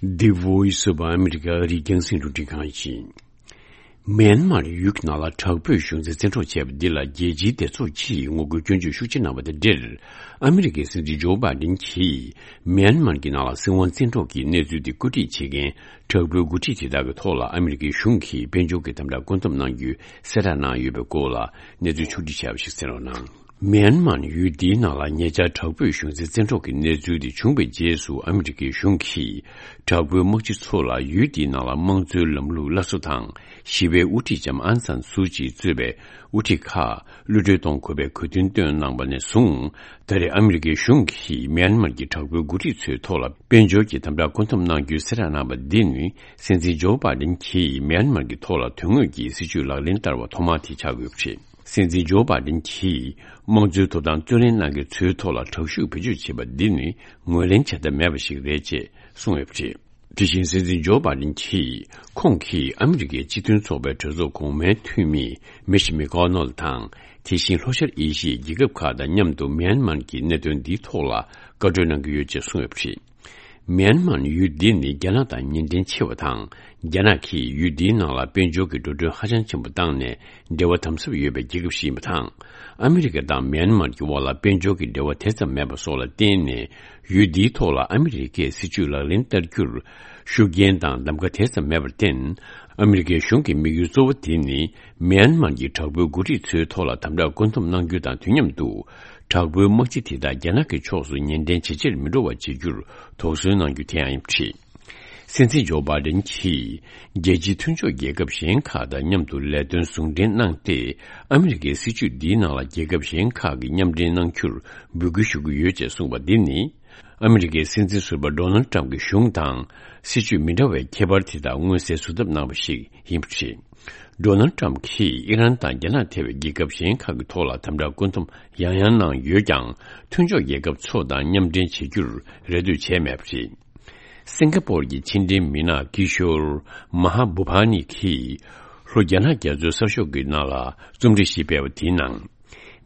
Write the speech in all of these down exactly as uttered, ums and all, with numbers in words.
The Voice of America ཨ་རིའི་རྒྱང་སྲིང་རླུང་འཕྲིན་ཁང་ཡིན། མེན་མར་ཡུལ་གྱི་ནང་ལ་དྲག་པོས་གཞུང་འཛིན་བཙན་འཕྲོག་བྱས་པ་འདི་ལ་རྒྱལ་སྤྱིའི་སྡེ་ཚོགས་ཀྱིས་ངོ་རྒོལ་སྐྱོན་བརྗོད་ཤུགས་ཆེ་གནང་བ་དང་འབྲེལ། ཨ་མི་རི་ཀའི་སྲིད་འཛིན་ཇོ་བྷའི་ཌེན་གྱིས་མེན་མར་གྱི་ནང་ལ་སྲིད་དབང་བཙན་འཕྲོག་གི་གནས་ཚུལ་དེ་བཀོད་སྒྲིག་བྱེད་མཁན་དྲག་པོའི་འགོ་ཁྲིད་དེ་དག་གི་ཐོག་ལ་ཨ་མི་རི་ཀའི་གཞུང་གིས་དཔལ་འབྱོར་གྱི་དམ་དྲག་བཀོད་འཐབ་གནང་རྒྱུའི་གསལ་བསྒྲགས་གནང་ཡོད་པའི་སྐོར་ལ་གནས་ཚུལ་ཕྱོགས་བསྒྲིགས་བྱས་པ་ཞིག་གསན་རོགས་གནང་། མེན་མར་ཡུལ་འདིའི་ནང་ལ་ཉེ་ཆར་དྲག་པོས་གཞུང་འཛིན་བཙན་འཕྲོག་གི་གནས་ཚུལ་དེ་བྱུང་བའི་རྗེས་སུ་ཨ་མི་རི་ཀའི་གཞུང་གིས་དྲག་པོའི་དམག་སྤྱི་ཚོ་ལ་ཡུལ་འདིའི་ནང་ལ་དམངས་གཙོའི་ལམ་ལུགས་སླར་གསོ་དང་ཞི་བའི་དབུ་ཁྲིད་ལྕམ་ཨང་སན་སུའུ་ཅི་གཙོས་པའི་དབུ་ཁྲིད་ཁག་གློད་གྲོལ་གཏོང་དགོས་པའི་གོ་སྟོན་བཏོན་གནང་བ་ནས་བཟུང་། ད་རེས་ཨ་མི་རི་ཀའི་གཞུང་གིས་མེན་མར་གྱི་དྲག་པོའི་འགོ་ཁྲིད་ཚོའི་ཐོག་ལ་དཔལ་འབྱོར་གྱི་དམ་དྲག་བཀོད་འཐབ་གནང་རྒྱུའི་གསལ་བསྒྲགས་གནང་བ་འདི་ནི་སྲིད་འཛིན་ཇོ་བྷའི་ཌེན་གྱིས་མེན་མར་གྱི་ཐོག་ལ་དོན་དངོས་ཀྱི་སྲིད་ཇུས་ལག་ལེན་བསྟར་བ་ཐོག་མ་དེ་ཆགས་ཡོད་པ་རེད། སྲིད་འཛིན་ཇོ་བྷའི་ཌེན་གྱིས་དམངས་གཙོའི་ཐོབ་ཐང་རྩོད་ལེན་གནང་མཁན་ཚོའི་ཐོག་ལ་དྲག་ཤུགས་བེད་སྤྱོད་བྱས་པ་འདི་ནི་ངོས་ལེན་བྱ་ཐབས་མེད་པ་ཞིག་རེད་ཅེས་གསུངས་ཡོད་པ་རེད། དེ་བཞིན་སྲིད་འཛིན་ཇོ་བྷའི་ཌེན་གྱིས་ཁོང་གིས་ཨ་མི་རི་ཀའི་སྤྱི་མཐུན་ཚོགས་པའི་གྲོས་ཚོགས་གོང་མའི་འཐུས་མི་མིཆ་མེ་ཀོ་ནལ་དང་དེ་བཞིན་ལྷོ་ཤར་ཨེ་ཤི་ཡའི་རྒྱལ་ཁབ་ཁག་དང་མཉམ་དུ་མེན་མར་གྱི་གནད་དོན་འདིའི་ཐོག་ལ་བཀའ་གྲོས་གནང་གི་ཡོད་ཅེས་གསུངས་ཡོད་པ་རེད། མེན་མར་ཡུལ་འདི་ནི་རྒྱ་ནག་དང་གཉེན་འབྲེལ་ཆེ་བ་དང་། རྒྱ་ནག་གིས་ཡུལ་འདིའི་ནང་ལ་དཔལ་འབྱོར་གྱི་འགྲོ་གྲོན་ཧ་ཅང་ཆེན་པོ་བཏང་ནས་འབྲེལ་བ་དམ་ཟབ་ཡོད་པའི་རྒྱལ་ཁབ་ཞིག་ཡིན་པ་དང་། ཨ་མི་རི་ཀ་དང་མེན་མར་གྱི་དབར་ལ་དཔལ་འབྱོར་གྱི་འབྲེལ་བ་དེ་ཙམ་མེད་པ་སོགས་ལ་བརྟེན་ནས་ཡུལ་འདིའི་ཐོག་ལ་ཨ་མི་རི་ཀས་སྲིད་ཇུས་ལག་ལེན་བསྟར་རྒྱུར་ཤུགས་རྐྱེན་དང་གདམ་ག་དེ་ཙམ་མེད་པར་བརྟེན། ཨ་མི་རི་ཀའི་གཞུང་གི་དམིགས་ཡུལ་གཙོ་བོ་དེ་ནི་མེན་མར་གྱི་དྲག་པོའི་འགོ་ཁྲིད་ཚོའི་ཐོག་ལ་དམ་དྲག་བཀོད་འཐབ་གནང་རྒྱུ་དང་དུས་མཉམ་དུ། དྲག་པོའི་དམག་སྤྱི་དེ་དག་རྒྱ་ནག་གི་ཕྱོགས་སུ་ངོས་འཛིན་བྱེད་ཕྱིར་མི་འགྲོ་བ་བྱེད་རྒྱུར་དོགས་ཟོན་གནང་རྒྱུ་དེ་ཡང་ཡིན་པ་རེད། སྲིད་འཛིན་ཇོ་བྷའི་ཌེན་གྱིས་རྒྱལ་སྤྱིའི་མཐུན་ཕྱོགས་རྒྱལ་ཁབ་གཞན་ཁག་དང་མཉམ་དུ་ལས་དོན་ཟུང་འབྲེལ་གནང་སྟེ། ཨ་མི་རི་ཀའི་སྲིད་བྱུས་འདིའི་ནང་ལ་རྒྱལ་ཁབ་གཞན་ཁག་གིས་མཉམ་འབྲེལ་གནང་རྒྱུར་འབོད་སྐུལ་ཞུ་གི་ཡོད་ཅེས་གསུངས་པ་འདི་ནི། ཨ་མི་རི་ཀའི་སྲིད་འཛིན་ཟུར་པ་ཌོ་ནལ་ཏྲམ་གྱི་གཞུང་དང་སྲིད་བྱུས་མི་འདྲ་བའི་ཁྱད་པར་དེ་དག་མངོན་གསལ་བཟོ་ཐབས་གནང་བ་ཞིག་ཡིན་པ་རེད། ཌོ་ནལ་ཏྲམ་གྱིས་ཨི་རན་དང་རྒྱ་ནག་ཐེ་བའི་རྒྱལ་ཁབ་གཞན་ཁག་གི་ཐོག་ལ་དམ་དྲག་བཀོད་འཐབ་ཡང་ཡང་གནང་ཡོད་ཀྱང་། མཐུན་ཕྱོགས་རྒྱལ་ཁབ་ཚོ་དང་མཉམ་འབྲེལ་བྱེད་རྒྱུར་རེ་ལྟོས་བྱས་མེད་པ་རེད། སིང་ག་པོར་གྱི་ཕྱི་འབྲེལ་མི་སྣ་ཀི་ཤོར་མ་ཧ་བྷུ་བྷ་ནི་གིས་ལྷོ་རྒྱ་ནག་རྒྱ་མཚོའི་གསར་ཤོག་གི་ནང་ལ་རྩོམ་བྲིས་ཤིག་སྤེལ་བ་དེའི་ནང་།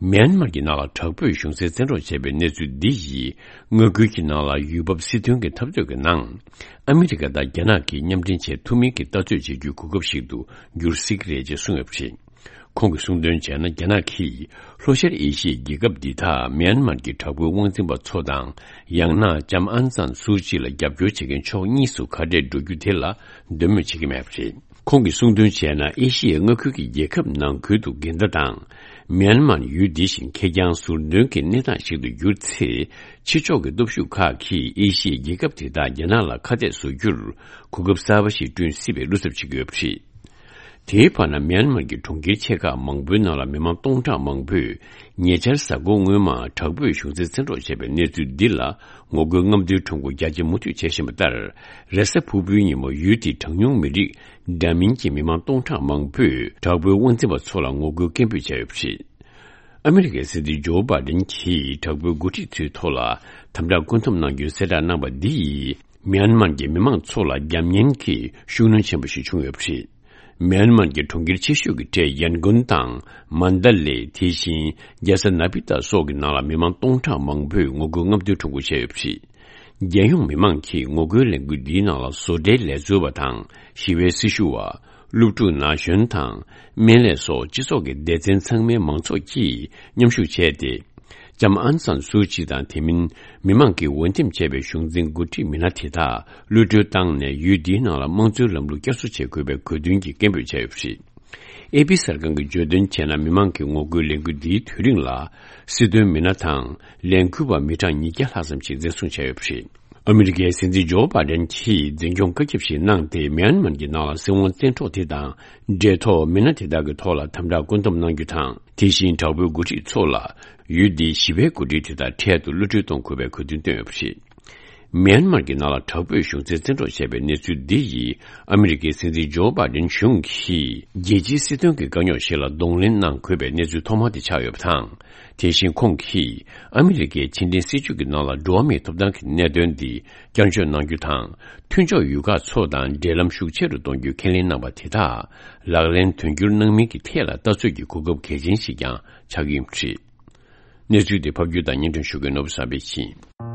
མེན་མར་གྱི་ནང་ལ་དྲག་པོས་གཞུང་འཛིན་བཙན་འཕྲོག་བྱས་པའི་གནས་ཚུལ་འདི་ཡིས་མངའ་ཁུལ་གྱི་ནང་ལ་ཡུལ་བབ་སྲིད་དོན་གྱི་འཐབ་རྩོད་ཀྱི་ནང་ཨ་མི་རི་ཀ་དང་རྒྱ་ནག་གིས་མཉམ་འབྲེལ་བྱེད་ཐུབ་མིན་གྱི་ལྟ་ཚོད་བྱེད་རྒྱུའི་གོ་སྐབས་ཤིག་ཏུ་འགྱུར་སྲིད་ཀྱི་རེད་ཅེས་གསུངས་ཡོད་པ་རེད། ཁོང་གིས་གསུངས་དོན་བྱས་ན། རྒྱ་ནག་གིས་ལྷོ་ཤར་ཨེ་ཤི་ཡའི་རྒྱལ་ཁབ་འདི་དག་མེན་མར་གྱི་དྲག་པོའི་དབང་འཛིན་པ་ཚོ་དང་། ཡང་ན་ལྕམ་ཨང་སན་སུའུ་ཅི་ལ་རྒྱབ་སྐྱོར་བྱེད་མཁན་ཕྱོགས་གཉིས་སུ་ཁ་བྲལ་འགྲོ་རྒྱུ་དེ་ལ་འདོད་མོས་བྱེད་ཀྱི་མེད་པ་རེད། ཁོང་གིས་གསུངས་དོན་བྱས་ན། ཨེ་ཤི་ཡའི་མངའ་ཁུལ་གྱི་རྒྱལ་ཁབ་ནང་ཁུལ་དུ་འགལ་ཟླ་དང་། མེན་མར་ཡུལ་འདི་བཞིན་ཁེར་རྐྱང་ཟུར་འདོན་གྱི་གནས་སྟངས་ཤིག་ཏུ་གྱུར་ཚེ། ཕྱི་ཕྱོགས་ཀྱི་སྟོབས་ཤུགས་ཁག་གིས་ཨེ་ཤི་ཡའི་རྒྱལ་ཁབ་དེ་དག་རྒྱ་ནག་ལ་ཁ་གཏད་བཟོ་རྒྱུར་གོ་སྐབས་གསར་པ་ཞིག་བསྐྲུན་སྲིད་པའི་བློ་འཚབ་བྱེད་ཀྱི་ཡོད་པ་རེད། དེའི་བར་ན། མེན་མར་གྱི་གྲོང་ཁྱེར་ཆེ་ཁག་མང་པོའི་ནང་ལ་མི་མང་སྟོང་ཕྲག་མང་པོས་ཉེ་ཆར་གཟའ་འཁོར་སྔོན་མ་དྲག་པོས་གཞུང་འཛིན་བཙན་འཕྲོག་བྱས་པའི་གནས་ཚུལ་འདི་ལ་ངོ་རྒོལ་རྔམ་སྟོན་ཁྲོམ་སྐོར་རྒྱ་ཆེ་མུ་མཐུད་བྱེད་བཞིན་པ་ལྟར། རེས་གཟའ་ཕུར་བུའི་ཉིན་མོ་ཡུལ་དེའི་གྲངས་ཉུང་མི་རིགས་འདྲ་མིན་གྱི་མི་མང་སྟོང་ཕྲག་མང་པོས་དྲག་པོའི་དབང་འཛིན་པ་ཚོ་ལ་ངོ་རྒོལ་སྐད་འབོད་བྱས་ཡོད་པ་རེད། ཨ་མི་རི་ཀའི་སྲིད་འཛིན་ཇོ་བྷའི་ཌེན་གྱིས་དྲག་པོའི་འགོ་ཁྲིད་ཚོའི་ཐོག་ལ་དམ་དྲག་བཀོད་འཐབ་གནང་རྒྱུའི་གསལ་བསྒྲགས་གནང་བ་འདི་ཡིས། མྱན་མར་གྱི་མི་མང་ཚོ་ལ་རྒྱབ་གཉེར་གྱི་ཤུགས་སྣོན་ཆེན་པོ་ཞིག་བྱུང་ཡོད་པ་རེད། མྱན་མར་གྱི་གྲོང་ཁྱེར་ཆེ་ཤོས་ཀྱི་གྲས་ཡན་གོན་དང་མན་ད་ལེ། དེ་བཞིན་རྒྱལ་ས་ན་པི་ཏཱ་སོགས་ཀྱི་ནང་ལ་མི་མང་སྟོང་ཕྲག་མང་པོས་ངོ་རྒོལ་རྔམ་སྟོན་ཁྲོམ་སྐོར་བྱས་ཡོད་པ་རེད། རྒྱལ་ཡོངས་མི་མང་གིས་ངོ་རྒོལ་ལས་འགུལ་འདིའི་ནང་ལ་བཟོ་གྲྭའི་ལས་བཟོ་བ་དང་ཞི་བའི་སྲི་ཞུ་བ། སློབ་ཕྲུག་ན་གཞོན་དང་སྨན་ལས་སོགས་སྤྱི་ཚོགས་ཀྱི་སྡེ་ཚན་ཚང་མའི་མང་ཚོགས་ཀྱིས་མཉམ་ཞུགས་བྱས་ཏེ། ལྕམ་ཨང་སན་སུའུ་ཅི་དང་དེ་མིན་མི་མང་གིས་འོས་འདེམས་བྱས་པའི་གཞུང་འཛིན་འགོ་ཁྲིད་མི་སྣ་དེ་དག་གློད་གྲོལ་བཏང་ནས་ཡུལ་འདིའི་ནང་ལ་དམངས་གཙོའི་ལམ་ལུགས་བསྐྱར་གསོ་བྱེད་དགོས་པའི་གོ་སྟོན་གྱི་སྐད་འབོད་བྱས་ཡོད་པ་རེད། ཨེ་པི་གསར་ཁང་གིས་བརྗོད་དོན་བྱས་ན། མི་མང་གི་ངོ་རྒོལ་ལས་འགུལ་འདིའི་དུས་རིང་ལ་སྲིད་དོན་མི་སྣ་དང་ལས་འགུལ་བ་མི་གྲངས་ཉིས་བརྒྱ་ལྷག་ཙམ་ཞིག་འཛིན་བཟུང་བྱས་ཡོད་པ་རེད། ཨ་མི་རི་ཀའི་སྲིད་འཛིན་ཇོ་བྷའི་ཌེན་གྱིས་འཛིན་སྐྱོང་བཀའ་ཁྱབ་ཞིག་གནང་སྟེ། མྱན་མར་གྱི་ནང་ལ་སྲིད་དབང་བཙན་འཕྲོག་དེ་དང་འབྲེལ་ཐོགས་མི་སྣ་དེ་དག་གི་ཐོག་ལ་དམ་དྲག་བཀོད་འདོམས་གནང་རྒྱུ་དང་། དེ་བཞིན་དྲག་པོའི་འགོ་ཁྲིད་ཚོ་ལ་ཡུལ་འདིའི་ཞི་བའི་འགོ་ཁྲིད་དེ་དག་འཕྲལ་དུ་གློད་གྲོལ་གཏོང་དགོས་པའི་གོ་སྟོན་བཏོན་ཡོད་པ་རེད། མྱན་མར་གྱི་ནང་ལ་དྲག་པོས་གཞུང་འཛིན་བཙན་འཕྲོག་བྱས་པའི་གནས་ཚུལ་འདི་ཡིས། ཨ་མི་རི་ཀའི་སྲིད་འཛིན་ཇོ་བྷའི་ཌེན་གཞུང་གིས་རྒྱལ་སྤྱིའི་སྲིད་དོན་གྱི་དཀའ་རྙོག་ཞིག་ལ་གདོང་ལེན་གནང་དགོས་པའི་གནས་ཚུལ་ཐོག་མ་དེ་ཆགས་ཡོད་པ་དང་། དེ་བཞིན་ཁོང་གིས་ཨ་མི་རི་ཀའི་ཕྱི་འབྲེལ་སྲིད་ཇུས་ཀྱི་ནང་ལ་འགྲོ་བ་མིའི་ཐོབ་ཐང་གི་གནད་དོན་འདི་བསྐྱར་བཅོས་གནང་རྒྱུ་དང་། མཐུན་ཕྱོགས་ཡུལ་ཁག་ཚོ་དང་འབྲེལ་ལམ་ཤུགས་ཆེ་རུ་གཏོང་རྒྱུའི་ཁས་ལེན་གནང་བ་དེ་དག་ལག་ལེན་དོན་འཁྱོལ་གནང་མིན་གྱི་ཐད་ལ་ལྟ་ཚོད་ཀྱི་གོ་སྐབས་གལ་ཆེན་ཞིག་ཀྱང་ཆགས་ཀྱི་ཡིན་པ་རེད། གནས་ཚུལ་དེ་ཕབ་སྒྱུར་དང་སྙན་སྒྲོན་ཞུ་མཁན་ནོར་བུ་བསམ་འཕེལ་ཡིན།